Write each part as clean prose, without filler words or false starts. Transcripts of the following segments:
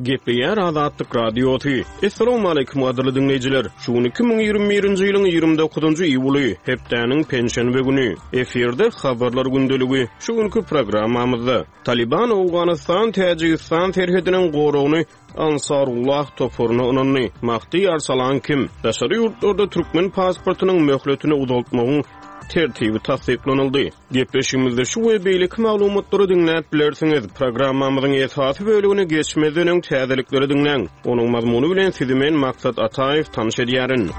Gepleýär Azatlyk Radiosy. Essalawmaleýkim gadyrly diňleýjiler! Şu gün 2021-nji ýylyň 29-njy iýuly, hepdäniň penşenbe güni. Efirde Habarlar gündeligi. Şu günki programmamyzda, Talyban Owganystan, Täjigistan serhediniň goragyny Ansarullah toparyna ynandy. Mahdi Arsalan kim? Daşary ýurtlarda türkmen pasportynyň möhletini uzaltmagyň tertibi tassyklanyldy. Gepleşigimizde şu we beýleki maglumatlary diňläp bilersiňiz. Programmamyzyň esasy bölegine geçmezden öň täzelikleri diňläň. Onuň mazmuny bilen sizi men Maksat Ataýew tanyş edýärin.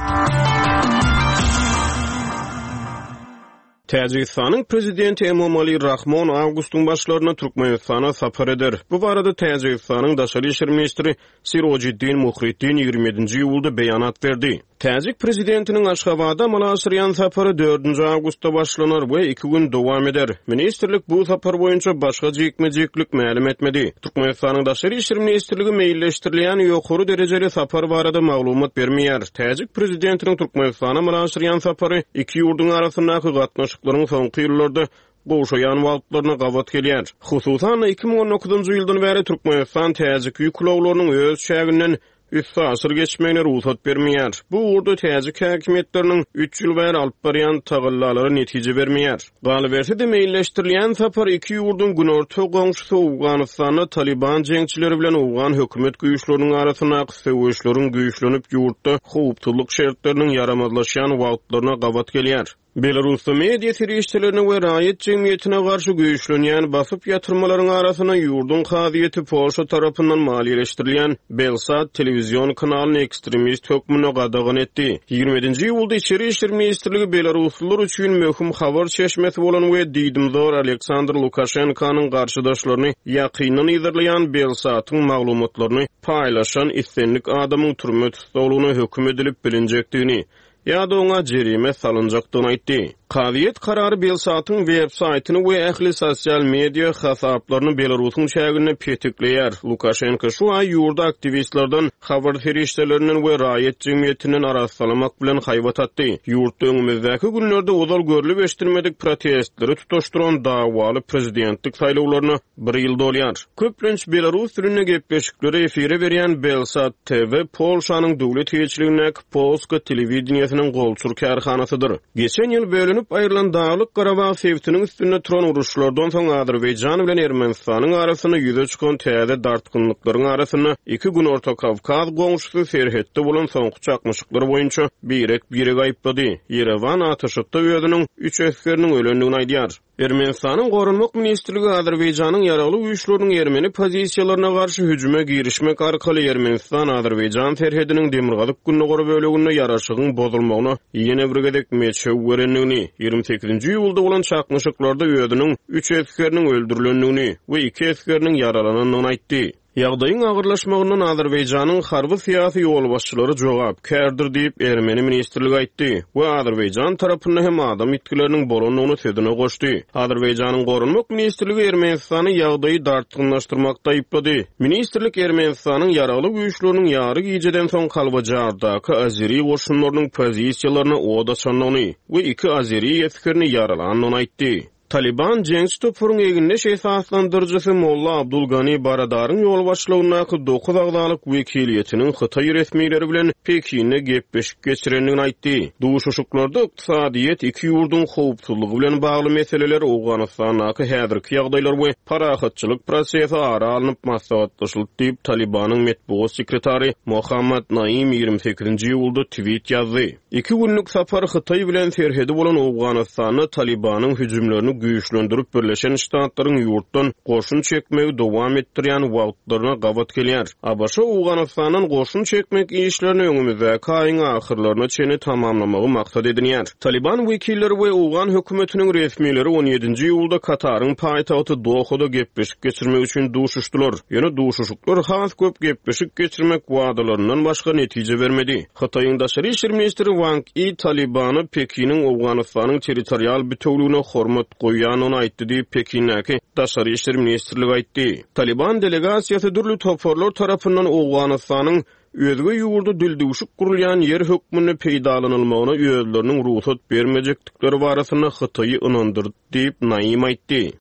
Täjigistanyň Prezidenti Emomali Rahmon awgustyň başlarynda Türkmenistana sapar eder. Bu barada Täjigistanyň daşary işler ministri Sirojiddin Muhriddin 27-nji iýulda beýanat berdi. Täjik prezidentiniň Aşgabada amala aşyrýan sapary dördünji awgustda başlanar we iki gün dowam eder. Ministrlik bu sapar boýunça başga jikme-jiklik mälim etmedi. Türkmenistanyň Daşary işler ministrligi meýilleşdirilýän ýokary derejeli sapar barada maglumat bermeýär. Täjik prezidentiniň Türkmenistana amala aşyrýan sapary iki ýurduň arasyndaky gatnaşyklaryň soňky ýyllarda gowşaýan wagtlaryna gabat gelýär. Hususan-da, 2019-njy ýyldan bäri Türkmenistan täjik ýük ulaglarynyň öz çäginden üstaşyr geçmegine rugsat bermeýär. Bu ugurda täjik häkimiýetleriniň üç ýyl bäri alyp barýan tagallalary netije bermeýär. Galyberse-de, meýilleşdirilýän sapar iki ýurduň günorta goňşusy Owganystanda Talyban jeňçileri bilen owgan hökümet güýçleriniň arasyndaky söweşleriň güýçlenip, ýurtda howpsuzlyk şertleriniň ýaramazlaşýan wagtlaryna gabat gelýär. Belarusda media serişdelerine we raýat jemgyýetine garşy güýçlenýän basyp ýatyrmalaryň arasynda ýurduň kazyýeti Polşa tarapyndan maliýeleşdirilýän Belsat telewizion kanalyny ekstremist hökmünde gadagan etdi. 27-nji iýulda Içeri işler ministrligi belaruslylar üçin möhüm habar çeşmesi bolan we diýdimzor Aleksandr Lukaşenkanyň garşydaşlaryny ýakyndan yzarlaýan Belsatyň maglumatlaryny paýlaşan islendik adamyň türme tussaglygyna höküm edilip bilinjekdigini ýa-da oňa jerime salynjakdygyny aýtdy. Kazyýet karary Belsatyň web-saýtyny we ähli sosial media hasaplaryny Belarusyň çäginde petikleýär. Lukaşenko şu aý ýurdy aktiwistlerden, habar serişdelerinden we raýat jemgyýetinden arassalamak bilen haýbat atdy. Ýurtda öňümizdäki günlerde ozal görlüp-eşidilmedik protestleri tutaşdyran dawaly prezidentlik saýlawlaryna bir ýyl dolýar. Köplenç belarus dilinde gepleşikleri efire berýän Belsat TV Polşanyň döwlet eýeçiligindäki Polska telewideniýesiniň golçur kärhanasydyr. Geçen ýyl bölünip aýrylan Daglyk-Garabag sebitiniň üstünde turan uruşlardan soň Azerbaýjan bilen Ermenistanyň arasynda ýüze çykan täze dartgynlyklaryň arasynda iki Günorta Kawkaz goňşusy serhetde bolan soňky çaknyşyklar boýunça birek-biregi aýyplady. Ýerewan atyşykda özüniň üç esgeriniň ölendigini aýdýar. Ermenistanyň Goranmak ministrligi Azerbaýjanyň ýaragly güýçleriniň ermeni pozisiýalaryna garşy hüjüme girişmek arkaly Ermenistan-Azerbaýjan serhediniň demirgazyk-gündogar böleginde ýaraşygyň bozulmagyna ýene bir gezek meçew berendigini, 28-nji iýulda bolan çaknyşyklarda özüniň üç esgeriniň öldürilendigini we iki esgeriniň ýaralanandygyny aýtdy. Ýagdaýyň agyrlaşmagyndan Azerbaýjanyň harby-syýasy ýolbaşçylary jogapkärdir diýip, ermeni ministrligi aýtdy we Azerbaýjan tarapynda hem adam ýitgileriniň bolandygyny sözüne goşdy. Azerbaýjanyň Goranmak ministrligi Ermenistany ýagdaýy dartgynlaşdyrmakda aýyplady. Ministrlik Ermenistanyň ýaragly güýçleriniň ýary gijeden soň Kalbajardaky azeri goşunlarynyň pozisiýalaryna od açandygyny we iki azeri esgerini ýaralandygyny aýtdy. Talyban jeňçi toparyň egindeş esaslandyryjysy Molla Abdul Gani Baradaryň ýolbaşçylygyndaky dokuz agzalyk wekiliýetiniň hytaý resmileri bilen Pekinde gepleşik geçirendigini aýtdy. Duşuşyklarda ykdysadyýet, iki ýurduň howpsuzlygy bilen bagly meseleler, Owganystandaky häzirki ýagdaýlar we parahatçylyk prosesi ara alnyp maslahatlaşyldy diýip, Talybanyň metbugat sekretary Mohammad Naim 28-nji iýulda tweet ýazdy. Iki günlük sapar Hytaý bilen serhedi bolan Owganystanda Talybanyň hüjümlerini güýçlendirip Birleşen Ştatlaryň ýurtdan goşun çekmegi dowam etdirýän wagtlaryna gabat gelýär. ABŞ Owganystandan goşun çekmek işlerini öňümizdäki aýyň ahyrlaryna çenli tamamlamagy maksat edinýär. Talyban wekilleri we owgan hökümetiniň resmileri on ýedinji iýulda Kataryň paýtagty Dohada gepleşik geçirmek üçin duşuşdylar. Ýöne duşuşyklar has köp gepleşik geçirmek wadalaryndan başga netije bermedi. Hytaýyň daşary işler ministri Wang I Talybana Pekiniň Owganystanyň territorial bitewüligine hormat goýýandygyny aýtdy diýip, Pekindäki Daşary işler ministrligi aýtdy. Talyban delegasiýasy dürli toparlar tarapyndan Owganystanyň özge ýurda dildüwşük gurulýan ýer hökmünde peýdalanylmagyna özleriniň rugsat bermejekdikleri barasynda Hytaýy ynandyrdy diýip, Naim aýtdy.